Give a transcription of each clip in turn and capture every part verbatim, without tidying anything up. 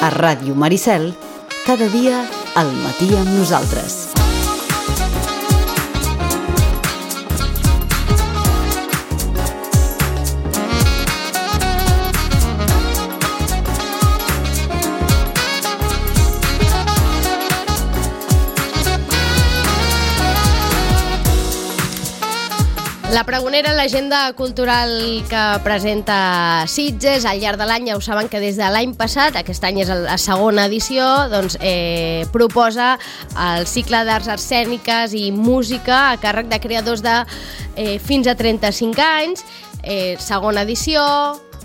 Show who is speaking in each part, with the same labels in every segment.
Speaker 1: A Ràdio Maricel, cada dia al matí amb nosaltres.
Speaker 2: La Pregonera, l'agenda cultural que presenta Sitges al llarg de l'any. Ja ho saben que des de l'any passat, aquest any és la segona edició, doncs, eh, proposa el cicle d'arts escèniques i música a càrrec de creadors de eh, fins a trenta-cinc anys. Eh, segona edició,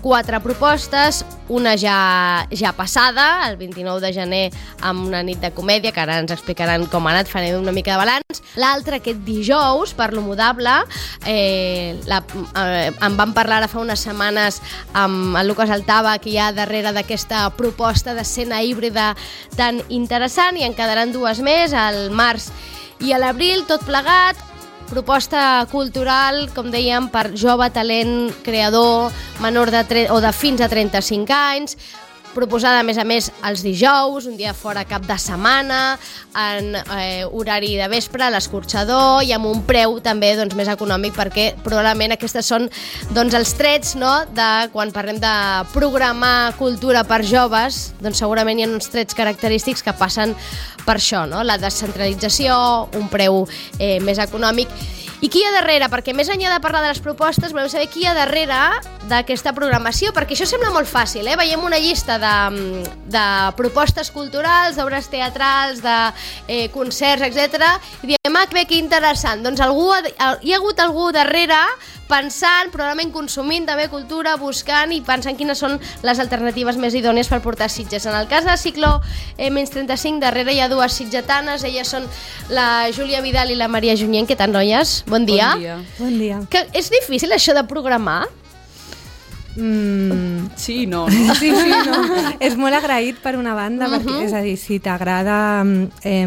Speaker 2: quatre propostes, una ja, ja passada, el vint-i-nou de gener, amb una nit de comèdia, que ara ens explicaran com ha anat, farem una mica de balanç. L'altra, aquest dijous, per l'Homodable, eh, la, eh, en vam parlar ara fa unes setmanes amb el Lucas Altava, que hi ha darrere d'aquesta proposta d'escena híbrida tan interessant, i en quedaran dues més, al març i a l'abril, tot plegat. Proposta cultural, com dèiem, per jove talent creador menor de tre- o de fins a trenta-cinc anys, proposada a més a més els dijous, un dia fora cap de setmana, en eh, horari de vespre, a l'escorxador, i amb un preu també doncs, més econòmic, perquè probablement aquestes són doncs, els trets, no?, de quan parlem de programar cultura per joves, doncs segurament hi ha uns trets característics que passen per això, no?, la descentralització, un preu eh, més econòmic. I qui hi ha darrere? Perquè més enllà de parlar de les propostes, volem saber qui hi ha darrere d'aquesta programació, perquè això sembla molt fàcil, eh? Veiem una llista de, de propostes culturals, d'obres teatrals, de eh, concerts, etcètera, i diem, ah, que interessant. Doncs algú, hi ha hagut algú darrere pensant, probablement consumint també cultura, buscant i pensant quines són les alternatives més idònies per portar Sitges. En el cas de Ciclo eh, menys trenta-cinc, darrere hi ha dues sitgetanes, elles són la Júlia Vidal i la Maria Junyent. Què tal, noies? Bon dia.
Speaker 3: Bon dia.
Speaker 4: Bon dia.
Speaker 2: Que és difícil això de programar?
Speaker 3: Mm, sí i no, no?
Speaker 4: Sí, sí, no. És molt agraït per una banda, uh-huh. perquè, és a dir, si t'agrada eh,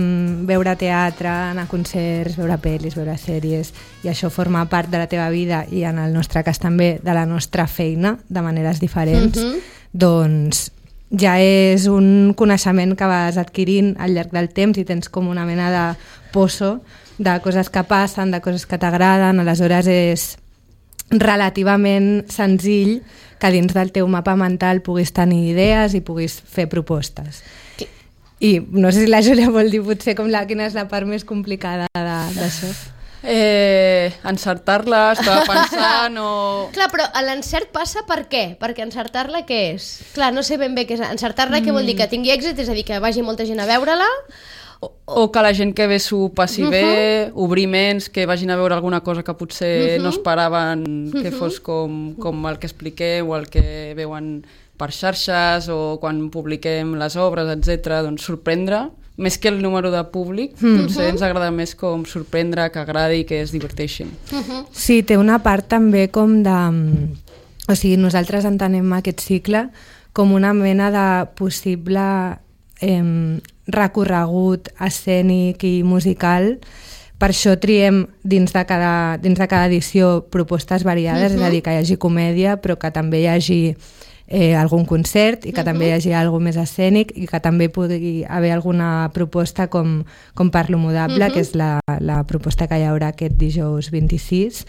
Speaker 4: veure teatre, anar a concerts, veure pel·lis, veure sèries, i això forma part de la teva vida i en el nostre cas també de la nostra feina, de maneres diferents, uh-huh. doncs ja és un coneixement que vas adquirint al llarg del temps i tens com una mena de poço de coses que passen, de coses que t'agraden, aleshores és relativament senzill que dins del teu mapa mental puguis tenir idees i puguis fer propostes. I no sé si la Júlia vol dir potser com la, quina és la part més complicada d'això.
Speaker 3: Eh, encertar-la, estava pensant o...
Speaker 2: Clar, però l'encert passa per què? Perquè encertar-la què és? Clar, no sé ben bé què és encertar-la, mm. què vol dir? Que tingui èxit, és a dir, que vagi molta gent a veure-la?
Speaker 3: O, o que la gent que ve s'ho passi uh-huh. bé, obrir ments, que vagin a veure alguna cosa que potser uh-huh. no esperaven que uh-huh. fos com, com el que expliqueu o el que veuen per xarxes o quan publiquem les obres, etcètera. Doncs sorprendre, més que el número de públic, uh-huh. potser ens agrada més com sorprendre, que agradi, que es diverteixin.
Speaker 4: Uh-huh. Sí, té una part també com de... O sigui, nosaltres entenem aquest cicle com una mena de possible... Eh, recorregut escènic i musical. Per això triem dins de cada, dins de cada edició propostes variades, uh-huh. és a dir, que hi hagi comèdia, però que també hi hagi eh, algun concert i que uh-huh. també hi hagi alguna més escènic i que també pugui haver alguna proposta com, com per l'Homodable, uh-huh. que és la, la proposta que hi haurà aquest dijous vint-i-sis,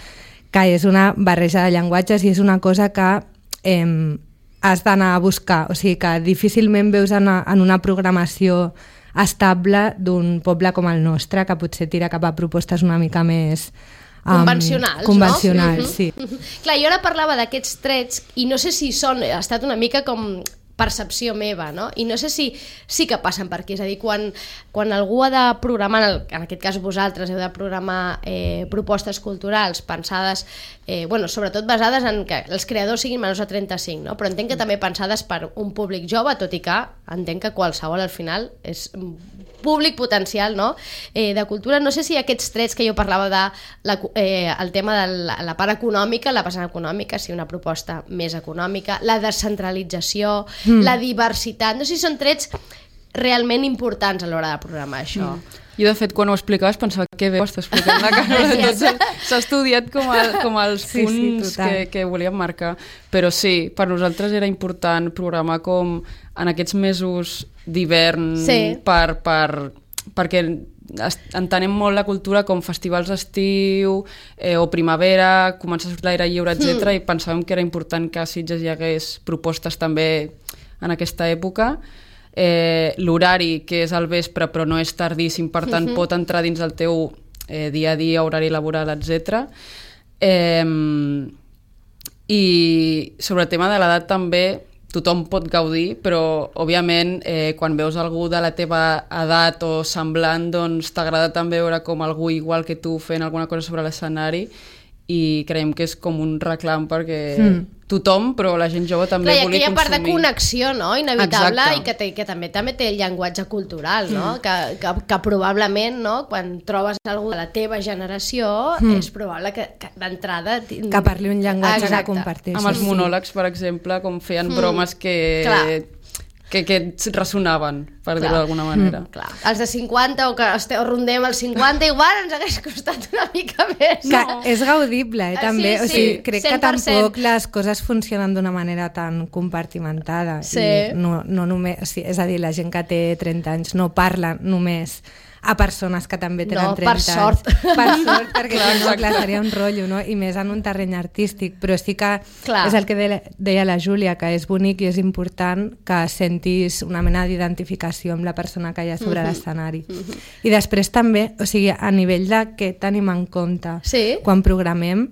Speaker 4: que és una barreja de llenguatges i és una cosa que eh, has d'anar a buscar, o sigui que difícilment veus en, en una programació estable d'un poble com el nostre, que potser tira cap a propostes una mica més um,
Speaker 2: convencionals,
Speaker 4: convencionals,
Speaker 2: no?
Speaker 4: Sí.
Speaker 2: Clar, jo ara parlava d'aquests trets i no sé si són, ha estat una mica com percepció meva, no? I no sé si sí que passen per aquí, és a dir, quan, quan algú ha de programar, en aquest cas vosaltres heu de programar eh, propostes culturals pensades, eh, bueno, sobretot basades en que els creadors siguin menors de trenta-cinc, no? Però entenc que també pensades per un públic jove, tot i que entenc que qualsevol al final és públic potencial, no? Eh, de cultura. No sé si aquests trets que jo parlava de la, eh, el tema de la, la part econòmica, la vessant econòmica, si una proposta més econòmica, la descentralització, mm. la diversitat, no sé si són trets realment importants a l'hora de programar això. Mm.
Speaker 3: Jo, de fet, quan ho explicaves pensava que bé ho està explicant la Carola. Tot s'ha estudiat com, a, com els
Speaker 4: sí,
Speaker 3: punts
Speaker 4: sí,
Speaker 3: que, que volíem marcar. Però sí, per nosaltres era important programar com en aquests mesos d'hivern
Speaker 2: sí.
Speaker 3: per, per, perquè entenem molt la cultura com festivals d'estiu eh, o primavera, començar a sortir l'aire lliure, etcètera. Mm. I pensàvem que era important que a Sitges hi hagués propostes també en aquesta època. Eh, l'horari, que és al vespre però no és tardíssim, per tant mm-hmm. pot entrar dins del teu eh, dia a dia, horari laboral, etcètera. Eh, I sobre el tema de l'edat també tothom pot gaudir, però òbviament eh, quan veus algú de la teva edat o semblant, doncs t'agrada també veure com algú igual que tu fent alguna cosa sobre l'escenari, i creiem que és com un reclam perquè mm. tothom, però la gent jove també
Speaker 2: clar,
Speaker 3: volia consumir.
Speaker 2: Hi ha aquella part de connexió, no?, inevitable. Exacte. I que, té, que també també té el llenguatge cultural, no? Mm. Que, que, que probablement, no?, quan trobes algú de la teva generació, mm. és probable que, que d'entrada...
Speaker 4: Que parli un llenguatge que comparteixi.
Speaker 3: Amb els monòlegs, per exemple, com feien mm. bromes que... Clar. Que, que resonaven, per dir-ho d'alguna manera.
Speaker 2: Mm, clar. Els de cinquanta o que esteu, rondem els cinquanta, igual ens hagués costat una mica més.
Speaker 4: Que no? És gaudible, eh, també. Sí, sí. O sigui, crec
Speaker 2: cent per cent.
Speaker 4: que tampoc les coses funcionen d'una manera tan compartimentada.
Speaker 2: Sí.
Speaker 4: I no, no només, o sigui, és a dir, la gent que té trenta anys no parla només a persones que també tenen
Speaker 2: no,
Speaker 4: trenta
Speaker 2: per sort.
Speaker 4: anys. Per sort, perquè clar, no, clar, seria un rotllo, no? I més en un terreny artístic. Però sí que clar. És el que deia la Júlia, que és bonic i és important que sentis una mena d'identificació amb la persona que hi ha sobre mm-hmm. l'escenari. Mm-hmm. I després també, o sigui, a nivell de què tenim en compte
Speaker 2: sí.
Speaker 4: quan programem,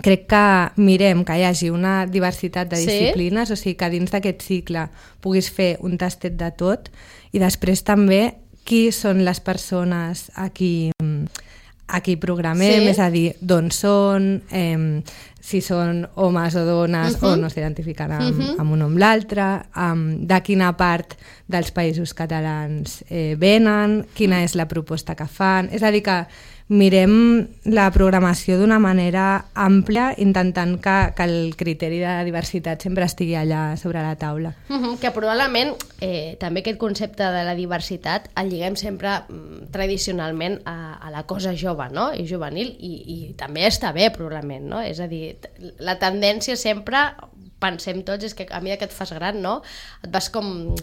Speaker 4: crec que mirem que hi hagi una diversitat de disciplines, sí. o sigui, que dins d'aquest cicle puguis fer un tastet de tot, i després també qui són les persones a qui, a qui programem, sí. és a dir, d'on són, eh, si són homes o dones uh-huh. o no s'identifiquen amb, uh-huh. amb un o amb l'altre, um, de quina part dels països catalans eh, venen, quina és la proposta que fan, és a dir que mirem la programació d'una manera àmplia, intentant que, que el criteri de diversitat sempre estigui allà sobre la taula.
Speaker 2: Uh-huh, que probablement eh, també aquest concepte de la diversitat el lliguem sempre mm, tradicionalment a, a la cosa jove, no?, i juvenil, i, i també està bé probablement, no? És a dir, la tendència sempre, pensem tots, és que a mesura que et fas gran, no?, et vas com...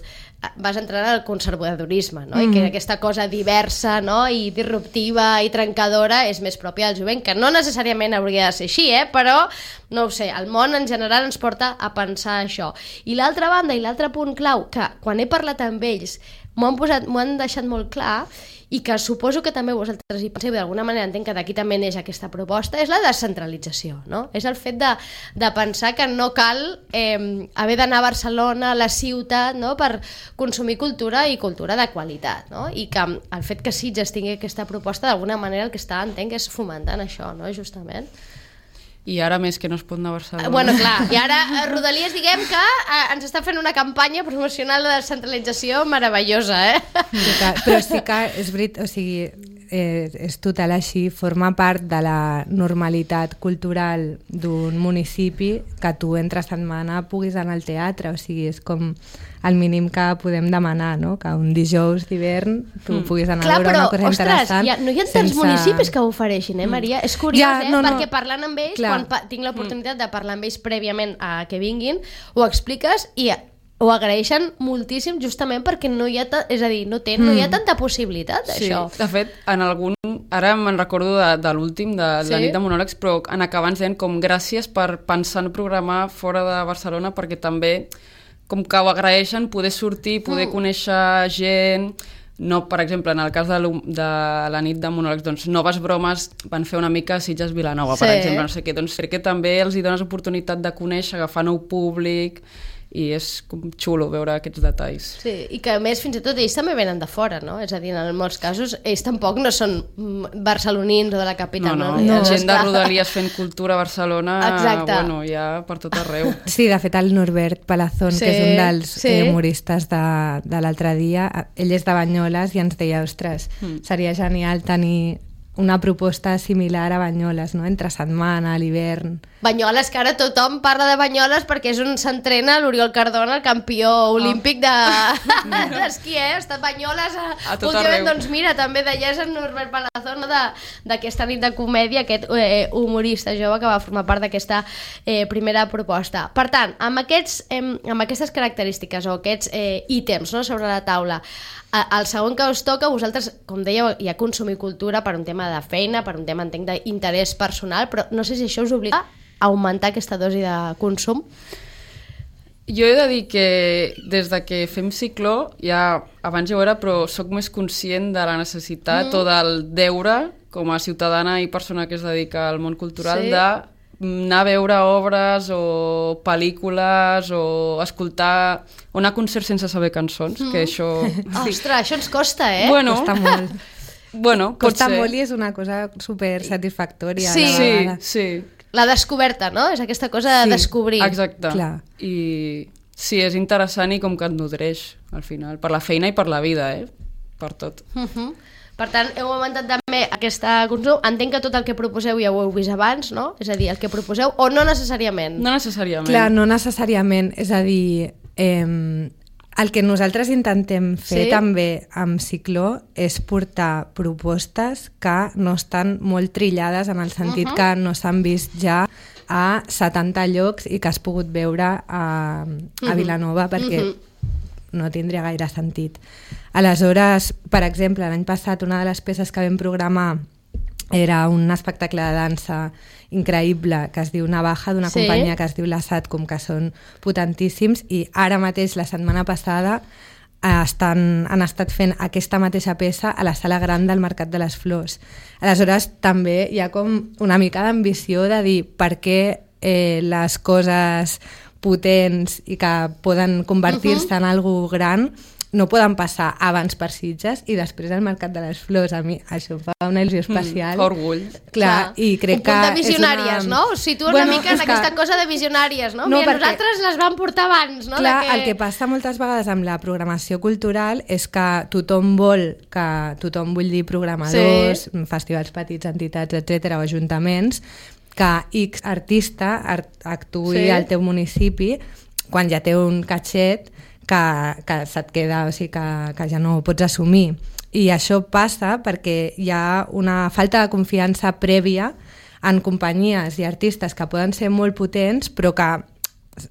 Speaker 2: vas entrant al conservadorisme, no? Mm-hmm. I que aquesta cosa diversa, no?, i disruptiva i trencadora és més pròpia del jovent, que no necessàriament hauria de ser així, eh? Però, no ho sé, el món en general ens porta a pensar això. I l'altra banda, i l'altre punt clau, que quan he parlat amb ells m'ho han, posat, m'ho han deixat molt clar, i que suposo que també vosaltres hi penseu, d'alguna manera entenc que d'aquí també neix aquesta proposta, és la descentralització, no? És el fet de, de pensar que no cal eh, haver d'anar a Barcelona, a la ciutat, no?, per consumir cultura i cultura de qualitat, no? I que el fet que Sitges tingui aquesta proposta, d'alguna manera el que està, entenc, és fomentant això, no?, justament.
Speaker 3: I ara més que no es pot anar a Barcelona.
Speaker 2: Bueno, clar, i ara Rodalies, diguem que eh, ens està fent una campanya promocional de descentralització meravellosa, eh?
Speaker 4: Però sí que és veritat, o sigui, eh, és total així, forma part de la normalitat cultural d'un municipi que tu entre setmana puguis anar al teatre, o sigui, és com el mínim que podem demanar, no?, que un dijous d'hivern tu mm. puguis anar clar, a veure però, una cosa
Speaker 2: ostres,
Speaker 4: interessant.
Speaker 2: Ja, no hi ha tants sense... municipis que ho ofereixin, eh, Maria? Mm. És curiós, ja, eh? No, no. Perquè parlant amb ells, clar. quan pa- tinc l'oportunitat de parlar amb ells prèviament a que vinguin, ho expliques i ho agraeixen moltíssim justament perquè no hi ha, ta- és a dir, no, té, mm. no hi ha tanta possibilitat d'això.
Speaker 3: Sí, de fet, en algun... Ara me'n recordo de, de l'últim, de sí? la nit de monòlegs, però en acabar ens deien com gràcies per pensar en programar fora de Barcelona, perquè també com que ho agraeixen poder sortir, poder mm. conèixer gent. No, per exemple, en el cas de, de la nit de monòlegs, doncs Noves Bromes van fer una mica Sitges Vilanova, sí. per exemple, no sé què. Doncs crec que també els hi dones oportunitat de conèixer, agafar nou públic, i és com xulo veure aquests detalls.
Speaker 2: Sí, i que a més fins i tot ells també venen de fora, no? És a dir, en molts casos ells tampoc no són barcelonins o de la capital.
Speaker 3: No, no, no. no. Gent de Rodalies fent cultura a Barcelona,
Speaker 2: exacte.
Speaker 3: Bueno, ja per tot arreu.
Speaker 4: Sí, de fet el Norbert Palazón, sí, que és un dels
Speaker 2: sí.
Speaker 4: humoristes de, de l'altre dia, ell és de Banyoles i ens deia, ostres, mm. seria genial tenir una proposta similar a Banyoles, no? Entre setmana, l'hivern...
Speaker 2: Banyoles, que ara tothom parla de Banyoles perquè és on s'entrena l'Oriol Cardona, el campió olímpic de... d'esquí, eh? Ha estat Banyoles a,
Speaker 3: a tot
Speaker 2: últimament,
Speaker 3: arreu.
Speaker 2: doncs mira, també deies en Norbert Palazón d'aquesta nit de comèdia, aquest eh, humorista jove que va formar part d'aquesta eh, primera proposta. Per tant, amb, aquests, eh, amb aquestes característiques o aquests eh, ítems, no?, sobre la taula, el segon que us toca, vosaltres, com dèieu, hi ha consumir cultura per un tema de feina, per un tema, entenc, d'interès personal, però no sé si això us obliga a augmentar aquesta dosi de consum.
Speaker 3: Jo he de dir que des de que fem cicló, ja abans ja ho era, però sóc més conscient de la necessitat mm. o del deure, com a ciutadana i persona que es dedica al món cultural, sí. de anar a veure obres o pel·lícules o escoltar o anar a concerts sense saber cançons, mm. que això...
Speaker 2: Oh, ostres, això ens costa, eh?
Speaker 3: Bueno,
Speaker 4: costa molt.
Speaker 3: Bueno,
Speaker 4: costa
Speaker 3: ser.
Speaker 4: molt i és una cosa super satisfactòria.
Speaker 2: Sí,
Speaker 3: sí, sí.
Speaker 2: La descoberta, no? És aquesta cosa de
Speaker 4: sí,
Speaker 2: descobrir.
Speaker 3: Exacte.
Speaker 4: Clar.
Speaker 3: I sí, és interessant i com que et nodreix, al final, per la feina i per la vida, eh? Per tot.
Speaker 2: Uh-huh. Per tant, heu augmentat també aquesta consum. Entenc que tot el que proposeu ja ho heu vist abans, no? És a dir, el que proposeu, o no necessàriament?
Speaker 3: No necessàriament.
Speaker 4: Clar, no necessàriament. És a dir, eh, el que nosaltres intentem fer
Speaker 2: sí?
Speaker 4: també amb Cicló és portar propostes que no estan molt trillades en el sentit uh-huh. que no s'han vist ja a setanta llocs i que has pogut veure a, a Vilanova perquè uh-huh. no tindria gaire sentit. Aleshores, per exemple, l'any passat una de les peces que vam programar era un espectacle de dansa increïble que es diu Navaja, d'una sí. companyia que es diu La Satcom, que són potentíssims, i ara mateix, la setmana passada, estan, han estat fent aquesta mateixa peça a la sala gran del Mercat de les Flors. Aleshores, també hi ha com una mica d'ambició de dir per què eh, les coses potents i que poden convertir-se uh-huh. en algo gran no poden passar abans per Sitges i després al Mercat de les Flors. A mi això em fa una il·lusió especial.
Speaker 3: Mm, orgull.
Speaker 4: Clar, Clar, i crec
Speaker 2: un punt
Speaker 4: que
Speaker 2: de visionàries,
Speaker 4: una...
Speaker 2: no? Us situen
Speaker 4: bueno,
Speaker 2: una mica en
Speaker 4: que...
Speaker 2: aquesta cosa de visionàries, no?
Speaker 4: no
Speaker 2: Mira,
Speaker 4: perquè...
Speaker 2: nosaltres les vam portar abans, no?
Speaker 4: Clar,
Speaker 2: de que...
Speaker 4: el que passa moltes vegades amb la programació cultural és que tothom vol, que tothom vull dir programadors, sí. festivals petits, entitats, etcètera, o ajuntaments, que X artista art actuï sí. al teu municipi quan ja té un catxet que, que se't queda, o sigui, que, que ja no pots assumir. I això passa perquè hi ha una falta de confiança prèvia en companyies i artistes que poden ser molt potents però que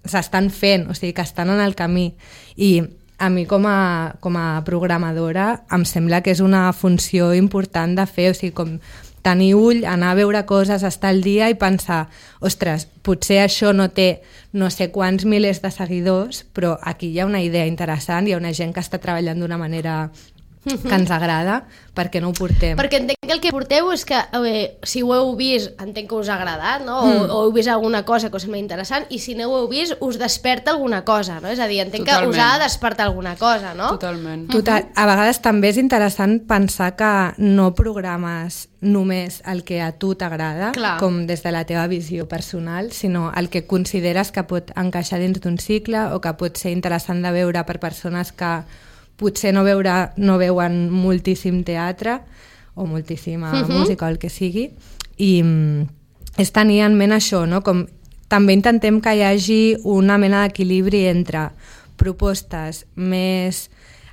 Speaker 4: s'estan fent, o sigui, que estan en el camí. I a mi com a, com a programadora em sembla que és una funció important de fer, o sigui, com tenir ull, anar a veure coses, estar al dia i pensar, ostres, potser això no té no sé quants milers de seguidors, però aquí hi ha una idea interessant, hi ha una gent que està treballant d'una manera que ens agrada, perquè no ho portem.
Speaker 2: Perquè entenc que el que porteu és que eh, si ho heu vist, entenc que us ha agradat, no? O, mm. o heu vist alguna cosa que us sembla interessant, i si no ho heu vist, us desperta alguna cosa, no? És a dir, entenc Totalment. que us ha de despertar alguna cosa, no?
Speaker 3: Totalment.
Speaker 4: Total. A vegades també és interessant pensar que no programes només el que a tu t'agrada, com des de la teva visió personal, sinó el que consideres que pot encaixar dins d'un cicle o que pot ser interessant de veure per persones que potser no, veure, no veuen moltíssim teatre o moltíssima uh-huh. música o el que sigui, i és tenir en ment això, no? Com també intentem que hi hagi una mena d'equilibri entre propostes més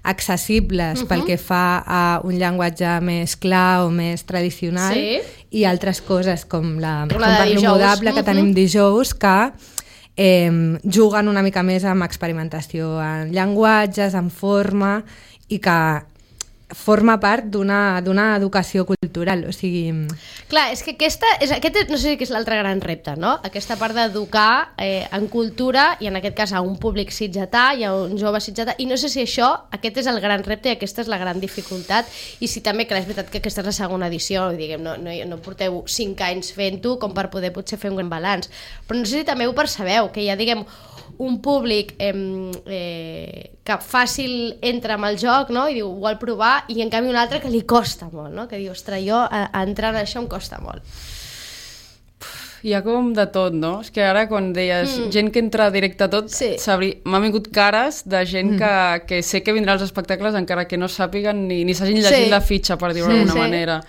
Speaker 4: accessibles uh-huh. pel que fa a un llenguatge més clar o més tradicional
Speaker 2: sí.
Speaker 4: i altres coses com la,
Speaker 2: la
Speaker 4: com per l'homodable que uh-huh. tenim dijous, que Eh, juguen una mica més amb experimentació en llenguatges, en forma, i que forma part d'una d'una educació cultural, o sigui...
Speaker 2: Clar, és que aquesta, és, aquest no sé si és l'altre gran repte, no? Aquesta part d'educar eh, en cultura, i en aquest cas a un públic sitgetà i a un jove sitgetà, i no sé si això, aquest és el gran repte i aquesta és la gran dificultat, i si també, clar, és veritat que aquesta és la segona edició, diguem, no, no, no porteu cinc anys fent-ho com per poder potser fer un gran balanç, però no sé si també ho percebeu, que hi ha, diguem, un públic eh, eh, que fàcil entra amb el joc, no? I diu, ho vol provar, i en canvi un altre que li costa molt, no? Que diu, ostres, jo a, a entrar en això em costa molt.
Speaker 3: Hi ha com de tot, no? És que ara quan deies mm. gent que entra directe a tot, sí. m'han vingut cares de gent mm. que, que sé que vindrà als espectacles encara que no sàpiguen ni, ni s'hagin llegit sí. la fitxa, per dir-ho sí, d'alguna sí. manera.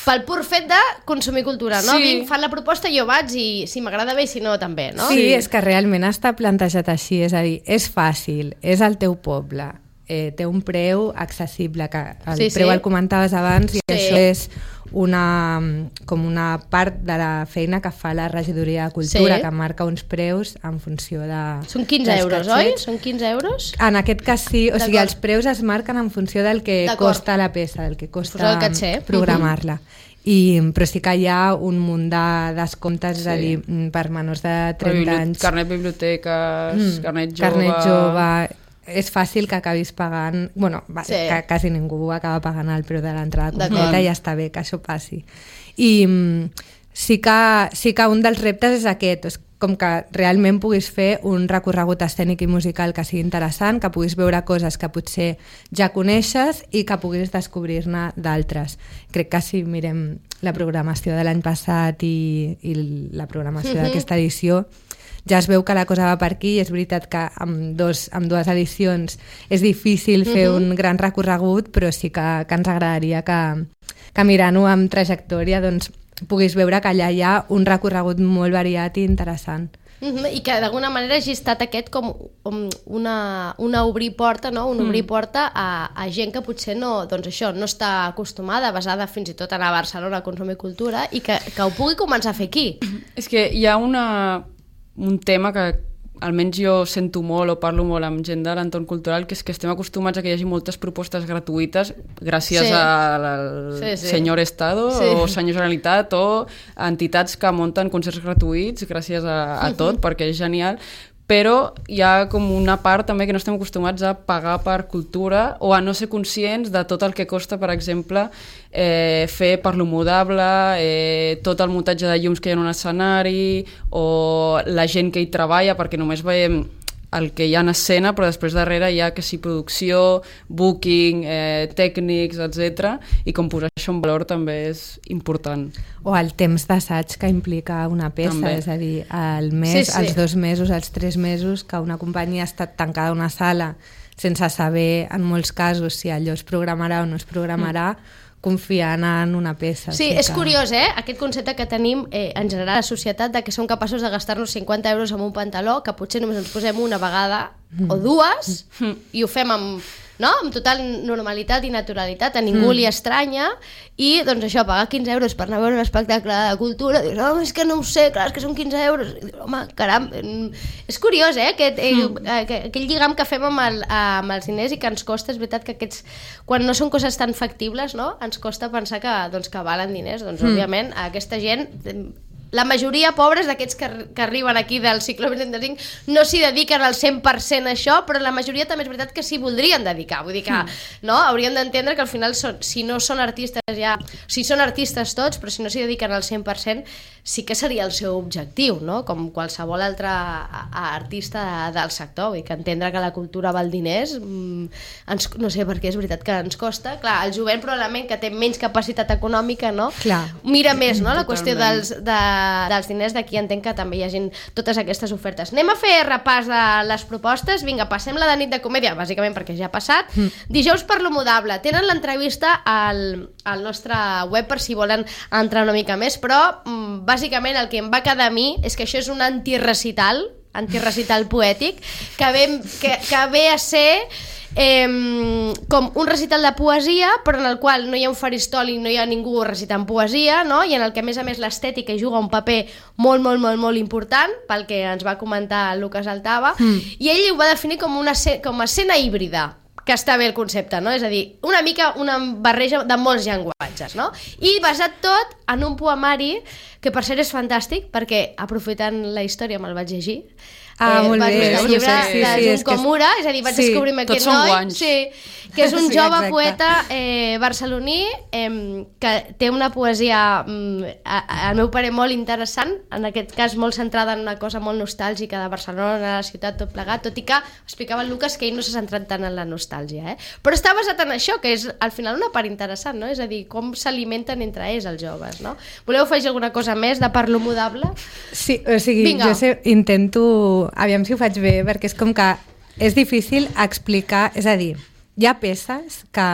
Speaker 2: pel pur fet de consumir cultura, no?
Speaker 3: Sí.
Speaker 2: Vinc, fan la proposta, jo vaig i si m'agrada bé i si no també, no?
Speaker 4: Sí, és que realment està plantejat així, és a dir, és fàcil, és el teu poble, eh, té un preu accessible, que el
Speaker 2: Sí,
Speaker 4: preu
Speaker 2: sí.
Speaker 4: el comentaves abans, i
Speaker 2: Sí.
Speaker 4: això és una, com una part de la feina que fa la regidoria de cultura,
Speaker 2: Sí.
Speaker 4: que marca uns preus en funció de...
Speaker 2: Són quinze
Speaker 4: dels
Speaker 2: euros,
Speaker 4: catxets.
Speaker 2: oi? Són quinze euros?
Speaker 4: En aquest cas sí, o sigui,
Speaker 2: D'acord.
Speaker 4: els preus es marquen en funció del que
Speaker 2: D'acord.
Speaker 4: costa la peça, del que
Speaker 2: Pues
Speaker 4: costa
Speaker 2: el catxer.
Speaker 4: programar-la. I, però sí que hi ha un munt de descomptes, sí. és a
Speaker 3: Sí.
Speaker 4: dir, mm, per menors de trenta
Speaker 3: Bibli-
Speaker 4: anys.
Speaker 3: Carnet biblioteques,
Speaker 4: Mm,
Speaker 3: carnet jove...
Speaker 4: Carnet jove, és fàcil que acabis pagant, bueno, va,
Speaker 2: Sí.
Speaker 4: que quasi ningú acaba pagant el preu de l'entrada
Speaker 2: D'acord.
Speaker 4: completa i ja està bé que això passi. I mm, sí que, sí que un dels reptes és aquest, és com que realment puguis fer un recorregut escènic i musical que sigui interessant, que puguis veure coses que potser ja coneixes i que puguis descobrir-ne d'altres. Crec que si mirem la programació de l'any passat i, i la programació
Speaker 2: Mhm.
Speaker 4: d'aquesta edició, ja es veu que la cosa va per aquí i és veritat que amb, dos, amb dues edicions és difícil fer
Speaker 2: Mhm.
Speaker 4: un gran recorregut, però sí que, que ens agradaria que, que mirant-ho amb trajectòria doncs, puguis veure que allà hi ha un recorregut molt variat i interessant.
Speaker 2: Mm-hmm. I que d'alguna manera hagi estat aquest com um, una, una obrir porta, no? Un obrir porta a, a gent que potser no, doncs això, no està acostumada, basada fins i tot a anar a Barcelona a consumir cultura i que, que ho pugui començar a fer aquí.
Speaker 3: És que hi ha una, un tema que almenys jo sento molt o parlo molt amb gent de l'entorn cultural, que és que estem acostumats a que hi hagi moltes propostes gratuïtes gràcies
Speaker 2: Sí.
Speaker 3: al
Speaker 2: Sí, sí.
Speaker 3: senyor Estado
Speaker 2: Sí.
Speaker 3: o senyor Generalitat o entitats que munten concerts gratuïts gràcies a, a tot, perquè és genial, però hi ha com una part també que no estem acostumats a pagar per cultura o a no ser conscients de tot el que costa, per exemple, eh, fer perlomodable, eh, tot el muntatge de llums que hi ha en un escenari o la gent que hi treballa, perquè només veiem el que hi ha en escena, però després darrere hi ha que sí producció, booking, eh, tècnics, etcètera. I com posar això en valor també és important.
Speaker 4: O el temps d'assaig que implica una peça,
Speaker 3: També.
Speaker 4: és a dir, el mes,
Speaker 2: Sí, sí.
Speaker 4: els dos mesos, els tres mesos que una companyia ha estat tancada a una sala sense saber, en molts casos, si allò es programarà o no es programarà, mm. confiant en una peça.
Speaker 2: Sí,
Speaker 4: o sigui
Speaker 2: és
Speaker 4: que...
Speaker 2: curiós, eh? Aquest concepte que tenim eh, en general a la societat de que som capaços de gastar-nos cinquanta euros en un pantaló, que potser només ens posem una vegada mm. o dues mm. i ho fem amb, no? amb total normalitat i naturalitat, a ningú mm. li estranya, i doncs això, pagar quinze euros per anar a veure un espectacle de cultura, dius, oh, és que no ho sé, clar, és que són quinze euros, i dius, home, caram, és curiós, eh, aquest, eh, mm. aquell lligam que fem amb, el, amb els diners i que ens costa, és veritat que aquests, quan no són coses tan factibles, no?, ens costa pensar que, doncs, que valen diners, doncs, mm. òbviament, aquesta gent... La majoria pobres d'aquests que, que arriben aquí del cicle vint-i-cinc no s'hi dediquen al cent per cent a això, però la majoria també és veritat que s'hi voldrien dedicar. Vull dir que mm. no, hauríem d'entendre que al final, són, si no són artistes ja... Si són artistes tots, però si no s'hi dediquen al cent per cent, sí que seria el seu objectiu, no? Com qualsevol altre artista del sector. Vull dir que entendre que la cultura val diners, ens, no sé per què, és veritat que ens costa. Clar, el jovent probablement que té menys capacitat econòmica, no?
Speaker 4: Clar.
Speaker 2: Mira més, no?, la qüestió
Speaker 3: Totalment.
Speaker 2: dels... De, dels diners, d'aquí entenc que també hi hagi totes aquestes ofertes. Anem a fer repàs de les propostes. Vinga, passem la de nit de comèdia, bàsicament perquè ja ha passat. Mm. Dijous per l'Homodable. Tenen l'entrevista al, al nostre web per si volen entrar una mica més, però mm, bàsicament el que em va quedar a mi és que això és un antirecital, antirecital poètic, que ve, que, que ve a ser... Eh, com un recital de poesia, però en el qual no hi ha un faristol i no hi ha ningú recitant poesia, no? I en el que a més a més l'estètica hi juga un paper molt, molt, molt, molt important, pel que ens va comentar el Lucas Altava, mm. i ell ho va definir com una com a escena híbrida, que està bé el concepte, no? És a dir, una mica una barreja de molts llenguatges, no? I basat tot en un poemari que per cert és fantàstic, perquè aprofitant la història me'l vaig llegir.
Speaker 4: Ah,
Speaker 2: eh,
Speaker 4: molt
Speaker 2: vas
Speaker 4: bé.
Speaker 2: llegir el
Speaker 3: Sí,
Speaker 2: llibre
Speaker 3: sí,
Speaker 2: de
Speaker 4: sí,
Speaker 2: Jun
Speaker 4: és que
Speaker 2: Komura, és a dir, vaig
Speaker 4: sí,
Speaker 2: descobrir-me
Speaker 3: tots
Speaker 2: aquest
Speaker 3: són
Speaker 2: noi,
Speaker 3: guanys.
Speaker 2: sí, que és un
Speaker 4: Sí,
Speaker 2: jove
Speaker 4: exacte.
Speaker 2: poeta eh, barceloní eh, que té una poesia, mm, a, a, al meu parer, molt interessant, en aquest cas molt centrada en una cosa molt nostàlgica de Barcelona, de la ciutat, tot plegat, tot i que explicava el Lucas que ell no s'ha centrat tant en la nostàlgia, eh? Però està basat en això, que és al final una part interessant, no? És a dir, com s'alimenten entre ells els joves, no? Voleu afegir alguna cosa més de parlo modable?
Speaker 4: Sí, o sigui,
Speaker 2: Vinga.
Speaker 4: jo sé, intento... Aviam si ho faig bé, perquè és com que és difícil explicar... És a dir, hi ha peces que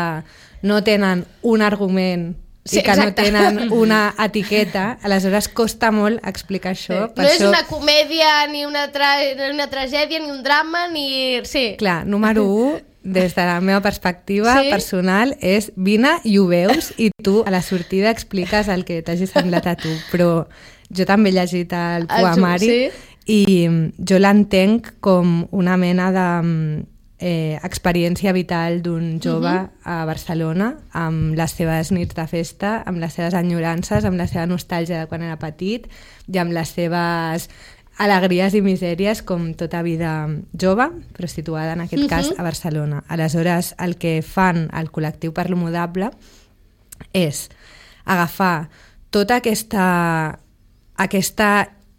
Speaker 4: no tenen un argument
Speaker 2: Sí,
Speaker 4: i que
Speaker 2: exacte.
Speaker 4: no tenen una etiqueta, aleshores costa molt explicar això.
Speaker 2: Sí.
Speaker 4: Per
Speaker 2: No
Speaker 4: això...
Speaker 2: és una comèdia, ni una, tra... una tragèdia, ni un drama, ni... Sí.
Speaker 4: Clar, número un, des de la meva perspectiva
Speaker 2: sí?
Speaker 4: personal, és vine i ho veus i tu a la sortida expliques el que t'hagi semblat a tu. Però jo també he llegit el poemari
Speaker 2: sí?
Speaker 4: i jo l'entenc com una mena de... Eh, experiència vital d'un jove uh-huh. a Barcelona, amb les seves nits de festa, amb les seves enyorances, amb la seva nostàlgia de quan era petit i amb les seves alegries i misèries com tota vida jove, però situada en aquest uh-huh. cas a Barcelona. Aleshores, el que fan el col·lectiu per lo Mudable és agafar tota aquesta, aquesta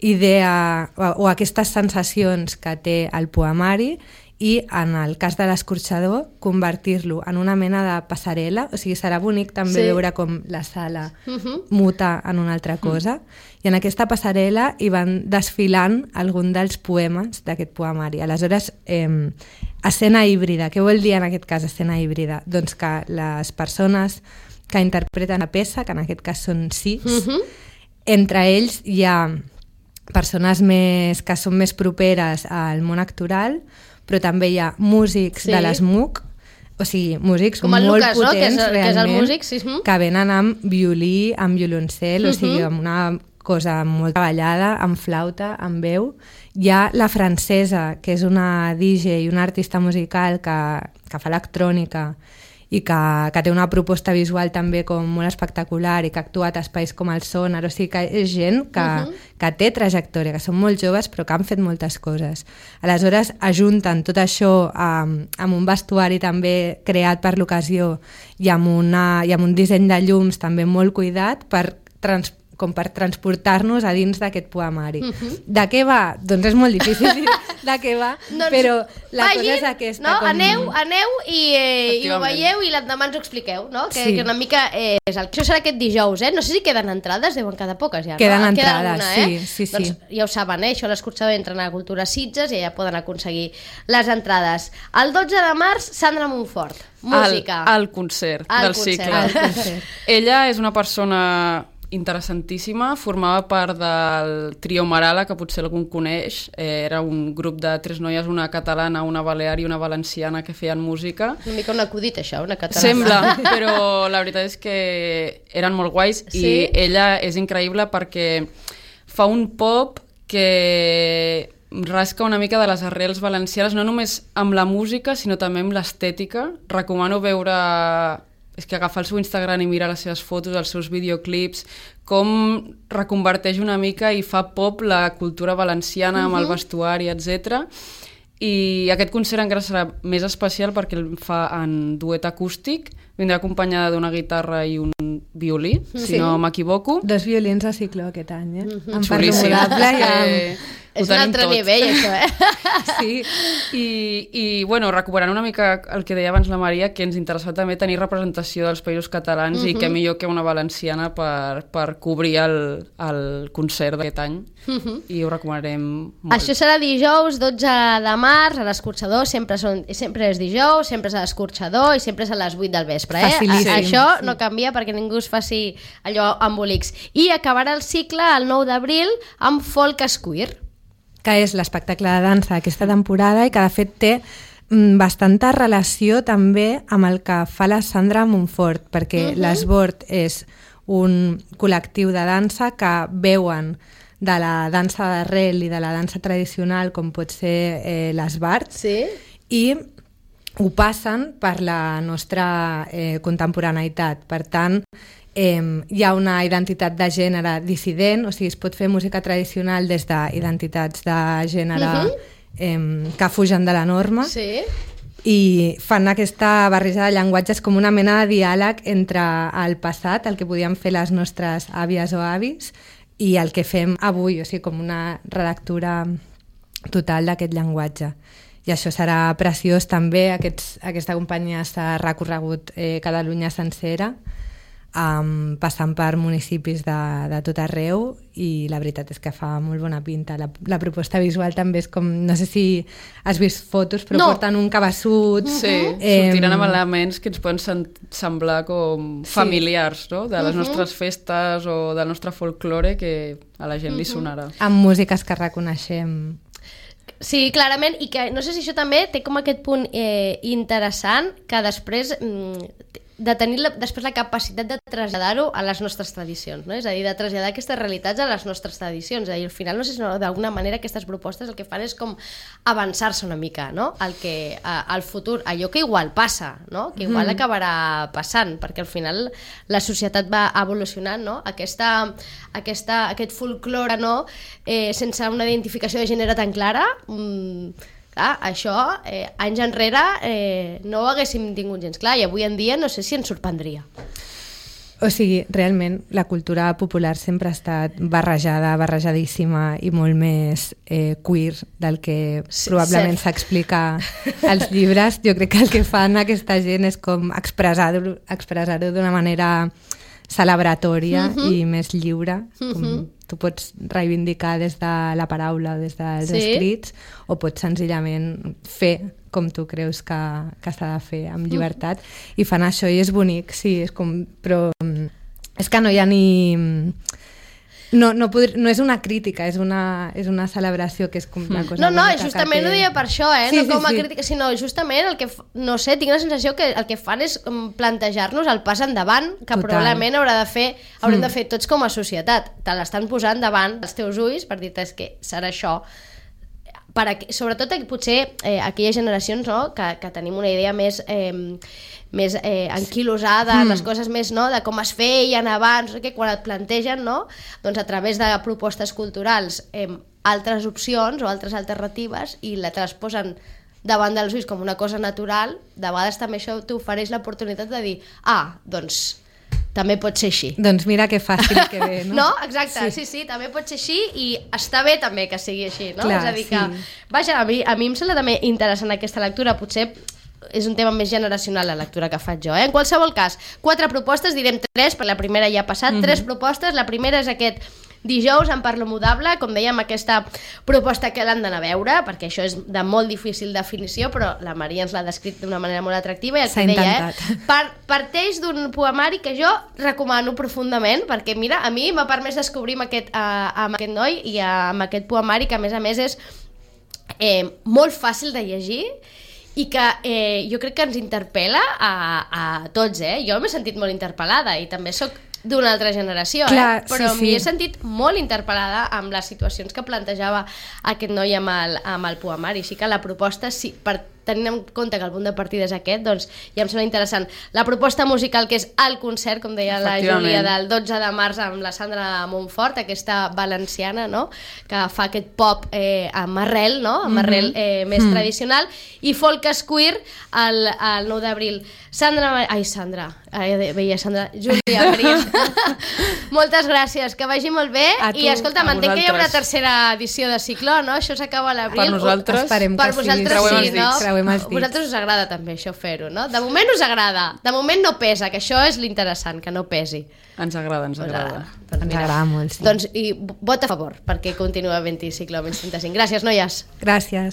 Speaker 4: idea o, o aquestes sensacions que té el poemari i en el cas de l'escorxador convertir-lo en una mena de passarel·la, o sigui, serà bonic també sí. veure com la sala uh-huh. muta en una altra cosa, uh-huh. i en aquesta passarel·la hi van desfilant algun dels poemes d'aquest poemari. Aleshores, eh, escena híbrida, què vol dir en aquest cas escena híbrida? Doncs que les persones que interpreten la peça, que en aquest cas són sis, uh-huh. entre ells hi ha persones més, que són més properes al món actoral, però també hi ha músics sí. de l'ESMUC, o sigui, músics
Speaker 2: com el
Speaker 4: molt
Speaker 2: Lucas,
Speaker 4: potents,
Speaker 2: no? que, és,
Speaker 4: realment,
Speaker 2: que és el músic, sí.
Speaker 4: que venen amb violí, amb violoncel, uh-huh. o sigui, amb una cosa molt treballada, amb flauta, amb veu. Hi ha la Francesa, que és una D J i una artista musical que, que fa electrònica i que, que té una proposta visual també com molt espectacular i que ha actuat a espais com el Sonar, o sigui que és gent que, uh-huh. que té trajectòria, que són molt joves però que han fet moltes coses. Aleshores ajunten tot això amb, amb un vestuari també creat per l'ocasió i amb, una, i amb un disseny de llums també molt cuidat per trans, com per transportar-nos a dins d'aquest poemari. Uh-huh. De què va? Doncs és molt difícil dir de què va, doncs però la vagin, cosa és aquesta.
Speaker 2: No?
Speaker 4: Com...
Speaker 2: Aneu, aneu i, eh, i ho veieu i l'endemà ens ho expliqueu, no? Que,
Speaker 4: sí.
Speaker 2: que una mica eh, és el... Això serà aquest dijous, eh? No sé si queden entrades, deuen quedar poques ja.
Speaker 4: Queden
Speaker 2: no?
Speaker 4: entrades,
Speaker 2: alguna,
Speaker 4: sí,
Speaker 2: eh?
Speaker 4: sí, sí.
Speaker 2: Doncs ja ho saben, eh? Això l'escorxador entren a Cultura Sitges i ja poden aconseguir les entrades. El dotze de març, Sandra Montfort, música.
Speaker 3: Al, al concert
Speaker 2: al
Speaker 3: del
Speaker 2: concert.
Speaker 3: cicle.
Speaker 2: Al concert.
Speaker 3: Ella és una persona interessantíssima, formava part del trio Marala, que potser algú coneix. Eh, era un grup de tres noies, una catalana, una balear i una valenciana, que feien música.
Speaker 2: Una mica un acudit, això, una catalana.
Speaker 3: Sembla, però la veritat és que eren molt guais sí? i ella és increïble perquè fa un pop que rasca una mica de les arrels valencianes, no només amb la música, sinó també amb l'estètica. Recomano veure... és que agafar el seu Instagram i mirar les seves fotos, els seus videoclips, com reconverteix una mica i fa pop la cultura valenciana amb uh-huh. el vestuari, etcètera. I aquest concert encara serà més especial perquè el fa en duet acústic, vindrà acompanyada d'una guitarra i un violí, sí. si no m'equivoco.
Speaker 4: Dos violins a ciclo aquest any, eh?
Speaker 2: Uh-huh.
Speaker 4: Amb Parlo Mudable i amb...
Speaker 2: És un altre tot. Nivell, això, eh?
Speaker 3: Sí, i, i bueno, recuperant una mica el que deia abans la Maria, que ens interessava també tenir representació dels països catalans uh-huh. i que millor que una valenciana per, per cobrir el, el concert d'aquest any. Uh-huh. I ho recomanarem molt.
Speaker 2: Això serà dijous, dotze de març, a l'escorxador, sempre, són, sempre és dijous, sempre és a l'escorxador i sempre és a les vuit del vespre. Eh?
Speaker 4: Facilíssim.
Speaker 2: Això sí. no canvia perquè ningú es faci allò embolics. I acabarà el cicle el nou d'abril amb Folk Square,
Speaker 4: que és l'espectacle de dansa d'aquesta temporada i que de fet té mm, bastanta relació també amb el que fa la Sandra Montfort, perquè uh-huh. l'Esbord és un col·lectiu de dansa que veuen de la dansa d'arrel i de la dansa tradicional com pot ser eh, l'esbart
Speaker 2: sí.
Speaker 4: i ho passen per la nostra eh, contemporaneïtat. Per tant, Eh, hi ha una identitat de gènere dissident, o sigui, es pot fer música tradicional des d'identitats de gènere uh-huh. eh, que fugen de la norma
Speaker 2: sí.
Speaker 4: i fan aquesta barreja de llenguatges com una mena de diàleg entre el passat, el que podien fer les nostres àvies o avis, i el que fem avui, o sigui, com una relectura total d'aquest llenguatge. I això serà preciós també. Aquests, aquesta companyia s'ha recorregut eh, Catalunya sencera, um, passant per municipis de, de tot arreu, i la veritat és que fa molt bona pinta. La, la proposta visual també és com, no sé si has vist fotos, però
Speaker 2: no.
Speaker 4: porten un cabeçut.
Speaker 3: Sí, eh, sortiran amb elements que ens poden semblar com sí. familiars, no? De les uh-huh. nostres festes o del nostre folklore, que a la gent uh-huh. li sonarà.
Speaker 4: Amb músiques que reconeixem.
Speaker 2: Sí, clarament, i que no sé si això també té com aquest punt eh, interessant, que després mm, de tenir la, després la capacitat de traslladar-ho a les nostres tradicions, no? És a dir, de traslladar aquestes realitats a les nostres tradicions. És a dir, al final, no sé si no, d'alguna manera aquestes propostes el que fan és com avançar-se una mica, no? Al que, a, al futur, allò que igual passa, no? Que igual mm. acabarà passant, perquè al final la societat va evolucionant, no? Aquesta, aquesta, aquest folklore, no? Eh, sense una identificació de gènere tan clara, mmm, clar, això, eh, anys enrere, eh, no ho haguéssim tingut gens clar, i avui en dia no sé si ens sorprendria.
Speaker 4: O sigui, realment, la cultura popular sempre ha estat barrejada, barrejadíssima i molt més eh, queer del que sí, probablement s'explica als llibres. Jo crec que el que fan aquesta gent és com expressar-ho expressar-ho d'una manera celebratòria uh-huh. i més lliure, com uh-huh. tu pots reivindicar des de la paraula o des dels sí. escrits, o pots senzillament fer com tu creus que, que s'ha de fer, amb llibertat, uh-huh. i fan això i és bonic, sí, és com, però és que no hi ha ni... No, no, poder, no és una crítica, és una, és una celebració que és com una cosa
Speaker 2: no, no,
Speaker 4: bonica.
Speaker 2: Justament
Speaker 4: té...
Speaker 2: ho deia per això, eh?
Speaker 4: Sí,
Speaker 2: no com a
Speaker 4: sí, sí.
Speaker 2: crítica, sinó justament el que, no sé, tinc la sensació que el que fan és plantejar-nos el pas endavant, que Total. probablement haurà de fer, haurem mm. de fer tots com a societat. Te l'estan posant davant els teus ulls per dir-te que serà això. Per a, sobretot potser eh, aquelles generacions, no?, que, que tenim una idea més... Eh, més eh, anquilosada, mm. les coses més, no?, de com es feien abans, que quan et plantegen, no?, doncs a través de propostes culturals eh, altres opcions o altres alternatives i la te les posen davant dels ulls com una cosa natural, de vegades també això t'ofereix l'oportunitat de dir, ah, doncs també pot ser així.
Speaker 4: Doncs mira que fàcil que ve, no?
Speaker 2: No? Exacte, sí. sí, sí, també pot ser així i està bé també que sigui així, no?
Speaker 4: Clar,
Speaker 2: és a dir que,
Speaker 4: sí.
Speaker 2: vaja, a mi, a mi em sembla també interessant aquesta lectura, potser és un tema més generacional la lectura que faig jo, eh? En qualsevol cas, quatre propostes, direm tres, perquè la primera ja ha passat, mm-hmm. tres propostes, la primera és aquest dijous en Parlo Mudable, com dèiem, aquesta proposta que l'han d'anar a veure, perquè això és de molt difícil definició, però la Maria ens l'ha descrit d'una manera molt atractiva, i el que deia, eh? Par parteix d'un poemari que jo recomano profundament, perquè mira, a mi m'ha permès descobrir amb aquest, uh, amb aquest noi i uh, amb aquest poemari, que a més a més és eh, molt fàcil de llegir, i que eh, jo crec que ens interpel·la a, a tots, eh? Jo m'he sentit molt interpel·lada i també sóc d'una altra generació,
Speaker 4: Clar,
Speaker 2: eh? Però
Speaker 4: sí,
Speaker 2: m'hi
Speaker 4: sí.
Speaker 2: he sentit molt interpel·lada amb les situacions que plantejava aquest noi amb el, amb el poemari, així que la proposta, sí, per tenint en compte que el punt de partida és aquest, doncs ja em sembla interessant. La proposta musical, que és el concert, com deia la Júlia, del dotze de març amb la Sandra Montfort, aquesta valenciana, no?, que fa aquest pop eh, amb arrel, no?, amb arrel eh, més mm. tradicional, i folk queer el, el nou d'abril. Sandra... Ai, Sandra. Ai, veia Sandra. Júlia, Maria. Moltes gràcies, que vagi molt bé. I escolta, m'entenc que hi ha una tercera edició de Cicló, no? Això s'acaba a l'abril.
Speaker 3: Per nosaltres,
Speaker 4: esperem
Speaker 2: per
Speaker 4: que
Speaker 2: vosaltres
Speaker 4: sí.
Speaker 2: sí, no?
Speaker 4: A
Speaker 2: vosaltres us agrada també això, fer-ho, no? De moment us agrada. De moment no pesa, que això és l'interessant, que no pesi.
Speaker 3: Ens agrada, ens agrada.
Speaker 2: Doncs
Speaker 4: ens agrada molt, sí.
Speaker 2: Doncs, i vot a favor, perquè continua havent-hi Cicló menys trenta-cinc. Gràcies, noies.
Speaker 4: Gràcies.